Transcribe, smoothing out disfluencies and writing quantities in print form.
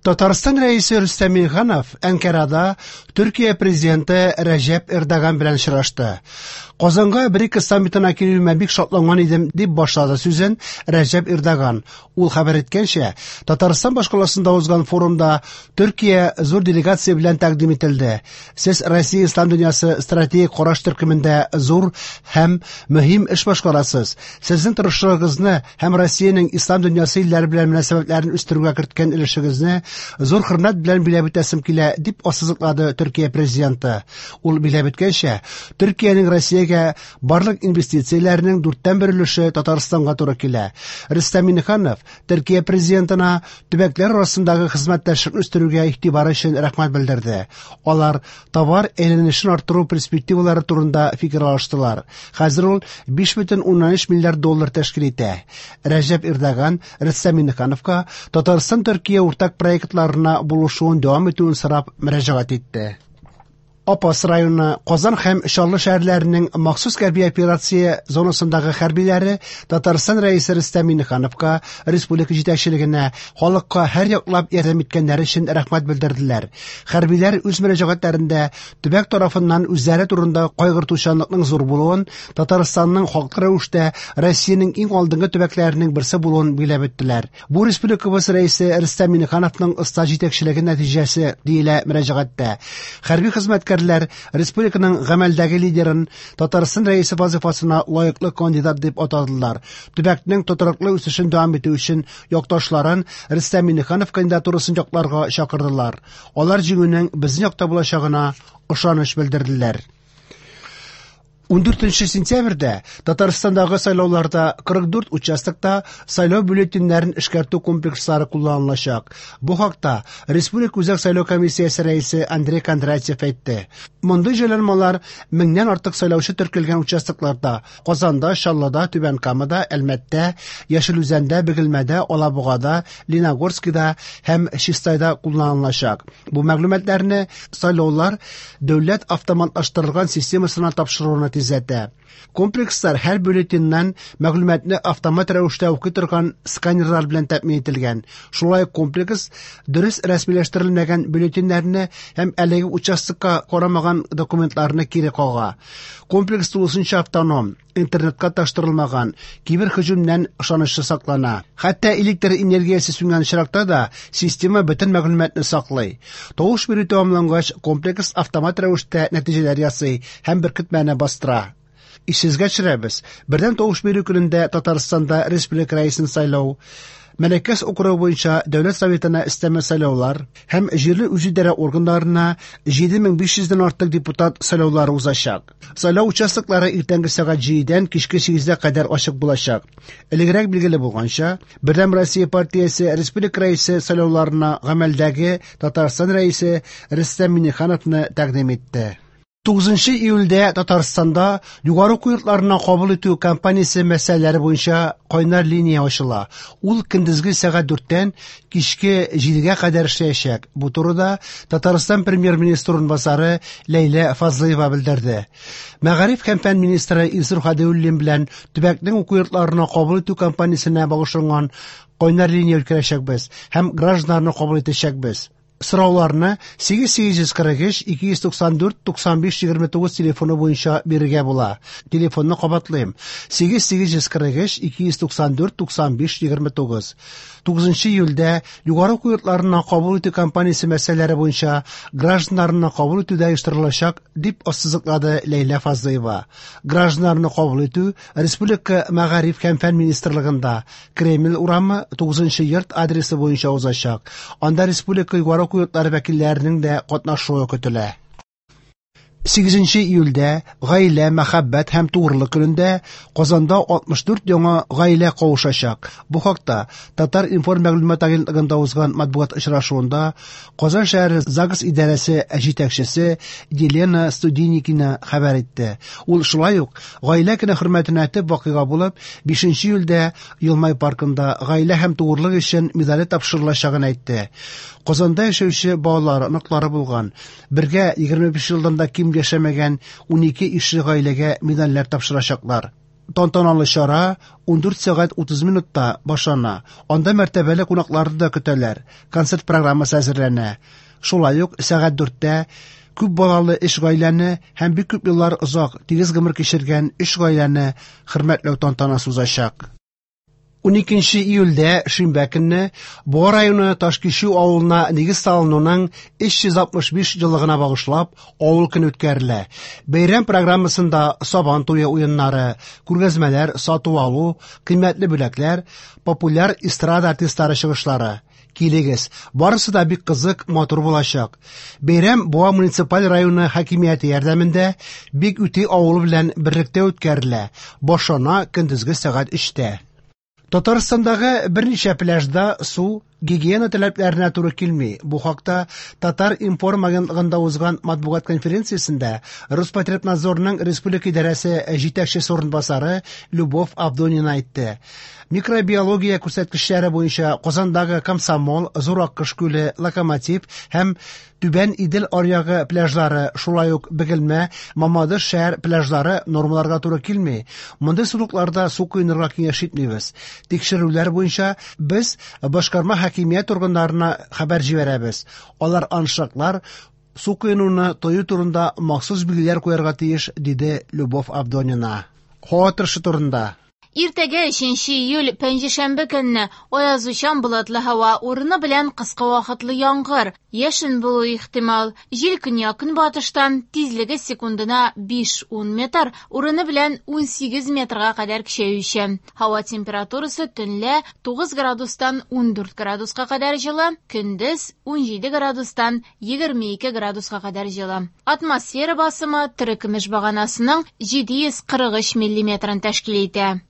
Татарстан Рәисе Рөстәм Миңнеханов Әнкарада Төркия президенты Рәҗәп Эрдоган белән очрашты. Казанга БРИКС саммитына килүемә бик шатланган идем, дип башлады сүзен Рәҗәп Эрдоган. Ул хәбәр иткәнчә, Татарстан башкаласында узган форумда Төркия зур делегация белән тәкъдим ителде. Сез Россия ислам дөньясы стратегик караш төркемендә зур һәм мөһим эш башкарасыз. Сезнең тырышлыгыгызны һәм Россиянең ислам дөньясы илләре белән мөнәсәбәтләрен үстерүгә керткән өлешегезне зур хөрмәт белән биләп үтәсем килә, дип ассызыклады Төркия президенты. Ул биләп үткәнчә, Төркиянең Россиягә барлык инвестицияләренең дүрттән бер өлеше Татарстанга туры килә. Рөстәм Миңнеханов Төркия президентына төбәкләр арасындагы хезмәттәшлекне үстерүгә игътибары өчен рәхмәт белдерде. Алар товар әйләнешен арттыру перспективалары турында фикер алыштылар. Хәзер ул 5,3 миллиард доллар тәшкил итә. Рәҗәп Эрдоган Рөстәм Миңнехановка Татарстан-Төркия уртак проектларына булышуын дәвам итүен сорап мөрәҗәгать итте. Апас районы, Казан һәм Чаллы шәһәрләренең махсус хәрби операция зонасындагы хәрбиләре Татарстан Рәисе Рөстәм Миңнехановка, республика җитәкчелегенә, халыкка һәр яклап ярдәм иткәннәре өчен рәхмәт белдерделәр. Хәрбиләр үз мөрәҗәгатьләрендә төбәк тарафыннан үзләре турында кайгыртучанлыкның зур булуын, Татарстанның хаклы рәвештә Россиянең иң алдынгы төбәкләренең берсе булуын билгеләп үттеләр. Бу республикабыз Рәисе Рөстәм Миңнехановның оста җитәкчелеге нәтиҗәсе, диелә мөрәҗәгатьтә. Хәрби хезмәткәрләр республиканың гамәлдәге лидерын Татарстан Рәисе вазыйфасына лаеклы кандидат дип атадылар. Төбәкнең тотрыклы үсешен дәвам итү өчен якташларын Рөстәм Миңнеханов кандидатурасын якларга чакырдылар. Алар җиңүнең безнең якта булачагына ышаныч белдерделәр. 14 сентябрьдә Татарстандагы сайлауларда 44 участокта сайлау бюллетеньнәрен эшкәртү комплекслары кулланылачак. Бу хакта Республика Үзәк сайлау комиссиясе рәисе Андрей Кондратьев әйтте. Мондый җайланмалар меңнән артык сайлаучы теркәлгән участокларда Казанда, Чаллыда, Түбән Камада, Әлмәттә, Яшел Үзәндә, Бөгелмәдә, Алабугада, Лениногорскида һәм Чистайда кулланылачак. Бу мәгълүматларны сайлаулар дәүләт автоматлаштырылган системасына тапшыруны тизләтә. Комплекслар һәр бюллетеньнән мәгълүматны автомат рәвештә укый торган сканерлар белән тәэмин ителгән. Шулай ук комплекс дөрес рәсмиләштерелмәгән бюллетеньнәрне һәм әлеге участокка карамаган документларны кире кага. Комплекс тулысынча автоном. Интернетка таштырылмаган, киберһөҗүмнән ышанычлы саклана. Хәтта электр энергиясе сүнгән очракта да система бөтен мәгълүматны саклый. Тавыш бирү тәмамлангач, комплекс автомат рәвештә нәтиҗәләр ясый һәм беркетмәне бастыра. Исегезгә төшерәбез, бердәм тавыш бирү көнендә Татарстанда республика рәисен сайлау, Мәләкәс округы буенча Дәүләт Советына өстәмә сайлаулар һәм җирле үзидарә органнарына 7500 дән артык депутат сайлаулары узачак. Сайлау участоклары иртәнге сәгать 7-дән кичке 8-гә кадәр ачык булачак. Элегрәк билгеле булганча, Бердәм Россия партиясе республика рәисе сайлауларына гамәлдәге Татарстан рәисе Рөстәм Миңнехановны тәкъдим итте. 9 июльдә Татарстанда югары уку йортларына кабул итү кампаниясе мәсьәләләре буенча кайнар линия ачыла. Ул көндезге сәгать 4-тән кичке 7-гә кадәр эшләячәк. Бу турыда Татарстан премьер-министры урынбасары Ләйлә Фазлыева белдерде. Мәгариф һәм фән министры Илсур Хәдиуллин белән төбәкнең уку йортларына кабул итү кампаниясенә багышланган кайнар линия үткәрәчәкбез һәм гражданнарны кабул итәчәкбез. Сорауларны 8843 294 95 29 телефоны буенча бирергә була. Телефонны кабатлыйм. 8843 294 95 29. 9 июльдә югары уку йортларына кабул итү кампаниясе мәсьәләләре буенча гражданнарны кабул итү дә оештырылачак, дип ассызыклады Ләйлә Фазлыева. Гражданнарны кабул итү Республика мәгариф һәм фән министрлыгында Кремль урамы 9 йорт адресы буенча узачак. Анда республика югары уку йортлары вәкилләренең дә катнашуы көтелә. 8 июльдә Гаилә, мәхәббәт һәм тугрылык көнендә Казанда 64 яңа гаилә кавышачак. Бу хакта Татар-информ мәгълүмат агентлыгында узган матбугат очрашуында Казан шәһәре ЗАГС идарәсе җитәкчесе Елена Студеникина хәбәр итте. Ул шулай ук Гаилә көне хөрмәтенә төп вакыйга булып 5 июльдә Елмай паркында гаилә һәм тугрылык өчен медале тапшырылачагын әйтте. Казанда яшәүче балалар, оныклары булган, бергә 25 елдан да ким яшәмәгән 12 ишле гаиләгә медальләр тапшырачаклар. Тантаналы чара 14 сәгать 30 минутта башлана. Анда мәртәбәле кунакларны да көтәләр. Концерт программасы әзерләнә. Шулай ук сәгать 4тә күп балалы өч гаиләне һәм бик күп еллар озак, тигез гомер кичергән өч гаиләне хөрмәтләү тантанасы узачак. 12 июльдә, шимбә көнне, Буа районы Ташкичү авылына нигез салынуның 365 еллыгына багышлап, авыл көне үткәрелә. Бәйрәм программасында Сабан туе уеннары, күргәзмәләр, сату-алу, кыйммәтле бүләкләр, популяр эстрада артистлары чыгышлары. Килегез, барысы да бик кызык, матур булачак. Бәйрәм Буа муниципаль районы хакимияте ярдәмендә Бик Үти авылы белән берлектә үткәрелә. Башлана көндезге сәгать 3тә. Татарстандагы берничә пляжда су гигиена таләпләренә туры килми. Бу хакта Татар-информ агентлыгында узган матбугат конференциясендә Роспотребнадзорның республика идарәсе җитәкчесе урынбасары Любовь Авдонина әйтте. Микробиология күрсәткечләре буенча Казандагы Комсомол, Зур Аккош күле, Локомотив һәм Түбән Идел аръягы пляжлары, шулай ук Бөгелмә, Мамадыш шәһәр пляжлары нормаларга туры килми. Мондый сулыкларда су коенырга киңәш итмибез. Тикшерүләр буенча без башкарма хакимият органнарына хәбәр җибәрәбез. Алар аншлаглар, су коенуны тыю турында махсус билгеләр куярга тиеш, диде Любовь Авдонина. Һава торышы турында. Иртәгә, өченче июль, пәнҗешәмбе көнне, аязучан болытлы һава, урыны белән кыска вакытлы яңгыр, яшен булуы ихтимал. Җил көньяк-көнбатыштан, тизлеге секундына 5-10 метр, урыны белән 18 метрга кадәр көчәючән. Һава температурасы төнлә 9 градустан 14 градуска кадәр җылы, көндез 17 градустан 22 градуска кадәр җылы. Атмосфера басымы терекөмеш баганасының 743 миллиметрын тәшкил итә.